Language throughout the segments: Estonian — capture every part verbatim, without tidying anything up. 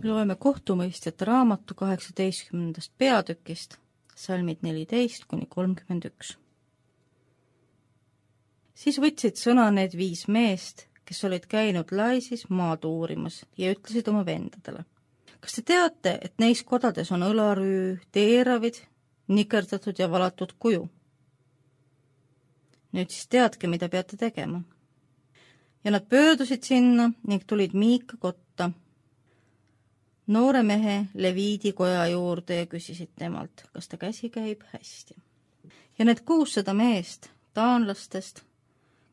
Loeme kohtumõistjate raamatu kaheksateistkümnendast peatükist, salmid neliteist kuni kolmkümmend üks. Siis võtsid sõna need viis meest, kes olid käinud Laisis maad uurimas ja ütlesid oma vendadele. Kas te teate, et neis kodades on õlarüü, teeravid, nikerdatud ja valatud kuju? Nüüd siis teadke, mida peate tegema. Ja nad pöördusid sinna ning tulid Miika kotta, noore mehe Leviidi koja juurde ja küsisid temalt, kas ta käsi käib hästi. Ja need kuussada meest taanlastest,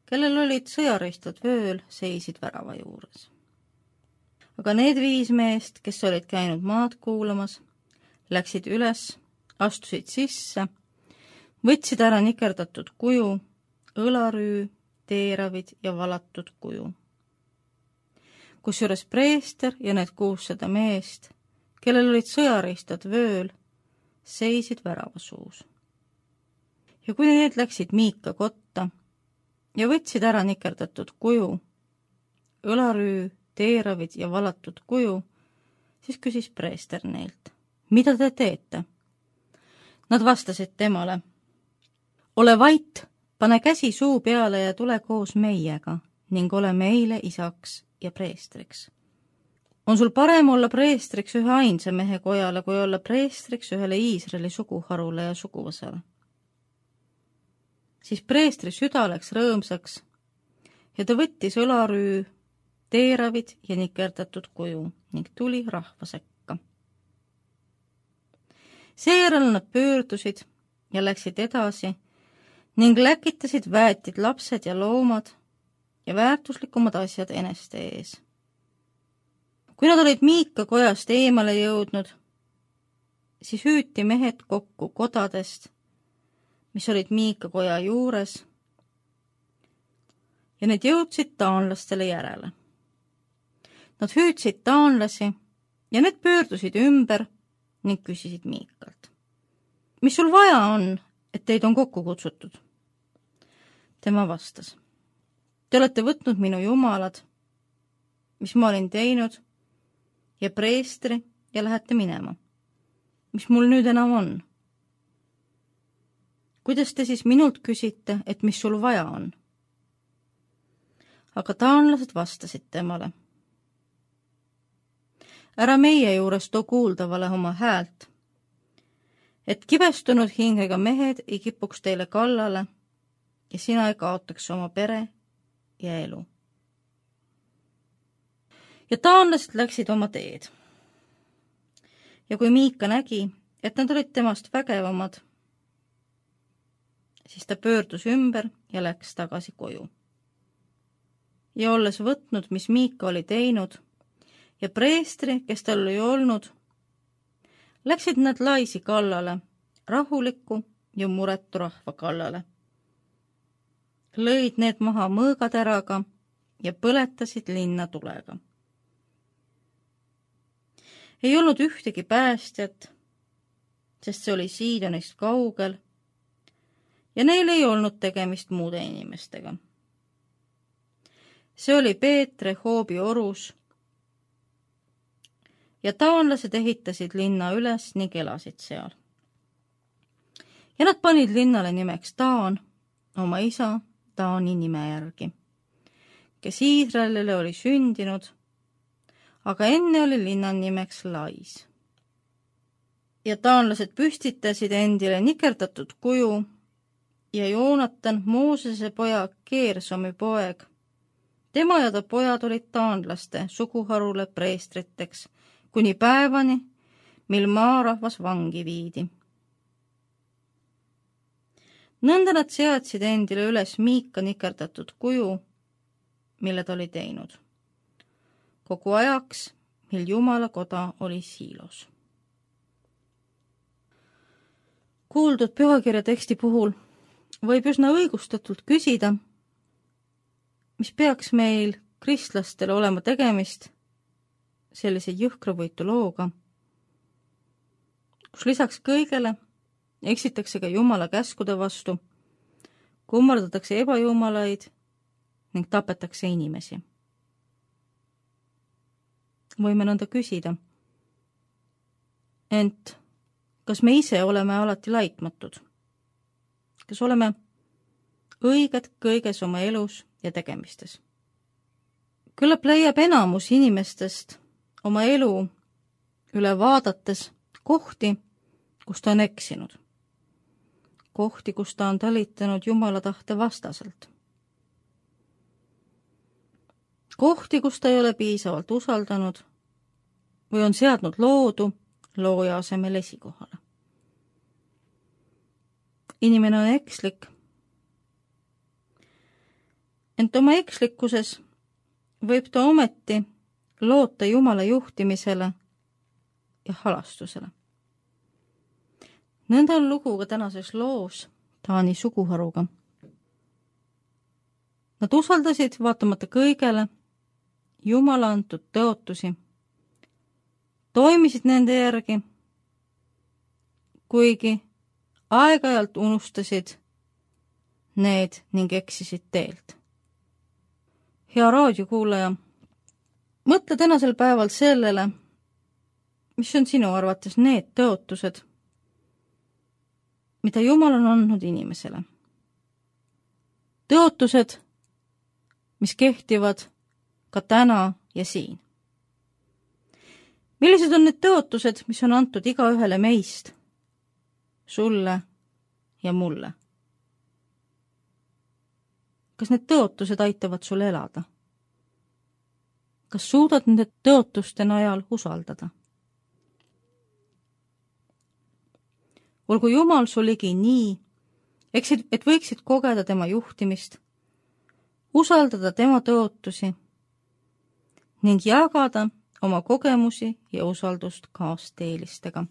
kellel olid sõjaristad vööl, seisid värava juures. Aga need viis meest, kes olid käinud maad kuulamas, läksid üles, astusid sisse, võtsid ära nikerdatud kuju, õlarüü, teeravid ja valatud kuju. Kusjuures preester ja need kuussada meest, kellel olid sõjaristad vööl, seisid väravasuus. Ja kui need läksid Miika kotta ja võtsid ära nikerdatud kuju, õlarüü, teeravid ja valatud kuju, siis küsis preester neilt, mida te teete? Nad vastasid temale, ole vait, pane käsi suu peale ja tule koos meiega ning ole meile isaks ja preestriks. On sul parem olla preestriks ühe ainsa mehe kojale, kui olla preestriks ühele Iisraeli suguharule ja suguvõsale. Siis preestri süda läks rõõmsaks ja ta võttis õlarüü, teeravid ja nikerdatud kuju ning tuli rahva sekka. Seejärel nad pöördusid ja läksid edasi ning läkitasid väetid lapsed ja loomad ja väärtuslikumad asjad eneste ees. Kui nad olid Miika kojast eemale jõudnud, siis hüüti mehed kokku kodadest, mis olid Miika koja juures, ja need jõudsid taanlastele järele. Nad hüüdsid taanlasi ja need pöördusid ümber ning küsisid Miikalt. Mis sul vaja on, et teid on kokku kutsutud? Tema vastas. Te olete võtnud minu jumalad, mis ma olin teinud, ja preestri ja lähete minema. Mis mul nüüd enam on? Kuidas te siis minult küsite, et mis sul vaja on? Aga taanlased vastasid temale. Ära meie juures too kuuldavale oma häält, et kibestunud hingega mehed ei kipuks teile kallale ja sina ei kaotaks oma pere ja elu. Ja taanlased läksid oma teed. Ja kui Miika nägi, et nad olid temast vägevamad, siis ta pöördus ümber ja läks tagasi koju. Ja olles võtnud, mis Miika oli teinud, ja preestri, kes tal oli olnud, läksid nad Laisi kallale, rahuliku ja muretu rahva kallale. Lõid need maha mõõgateraga ja põletasid linna tulega. Ei olnud ühtegi päästjat, sest see oli Siidonist kaugel ja neil ei olnud tegemist muude inimestega. See oli Peetre Hoobi orus ja taanlased ehitasid linna üles ning elasid seal. Ja nad panid linnale nimeks Taan, oma isa Taani nime järgi, kes Iisraelile oli sündinud, aga enne oli linnan nimeks Lais. Ja taanlased püstitasid endile nikerdatud kuju ja Joonatan, Moosese poja Keersomi poeg. Tema ja ta pojad olid taanlaste suguharule preestriteks kuni päevani, mil maarahvas vangi viidi. Nõnda nad seadsid endile üles Miika nikerdatud kuju, mille ta oli teinud. Kogu ajaks, mil Jumala koda oli Siilos. Kuuldud pühakirja teksti puhul võib üsna õigustatult küsida, mis peaks meil kristlastel olema tegemist sellise jõhkravõitu looga, kus lisaks kõigele eksitakse ka Jumala käskude vastu, kummardatakse ebajumalaid ning tapetakse inimesi. Võime nõnda küsida, Ent kas me ise oleme alati laitmatud? Kas oleme õiged kõiges oma elus ja tegemistes? Küllap leiab enamus inimestest oma elu üle vaadates kohti, kus ta on eksinud. Kohti, kus ta on talitanud Jumala tahte vastaselt. Kohti, kus ta ei ole piisavalt usaldanud või on seadnud loodu looja asemel esikohale. Inimene on ekslik, ent oma ekslikkuses võib ta ometi loota Jumala juhtimisele ja halastusele. Nõnda on lugu ka tänases loos Taani suguharuga. Nad usaldasid vaatamata kõigele Jumala antud tõotusi, toimisid nende järgi, kuigi aeg-ajalt unustasid need ning eksisid teelt. Hea raadiokuulaja, mõtle tänasel päeval sellele, mis on sinu arvates need tõotused, mida Jumal on andnud inimesele. Tõotused, mis kehtivad ka täna ja siin. Millised on need tõotused, mis on antud igaühele meist, sulle ja mulle? Kas need tõotused aitavad sul elada? Kas suudad nende tõotuste najal usaldada? Olgu Jumal sul ligi nii, et võiksid kogeda tema juhtimist, usaldada tema tõotusi ning jagada oma kogemusi ja usaldust kaasteelistega.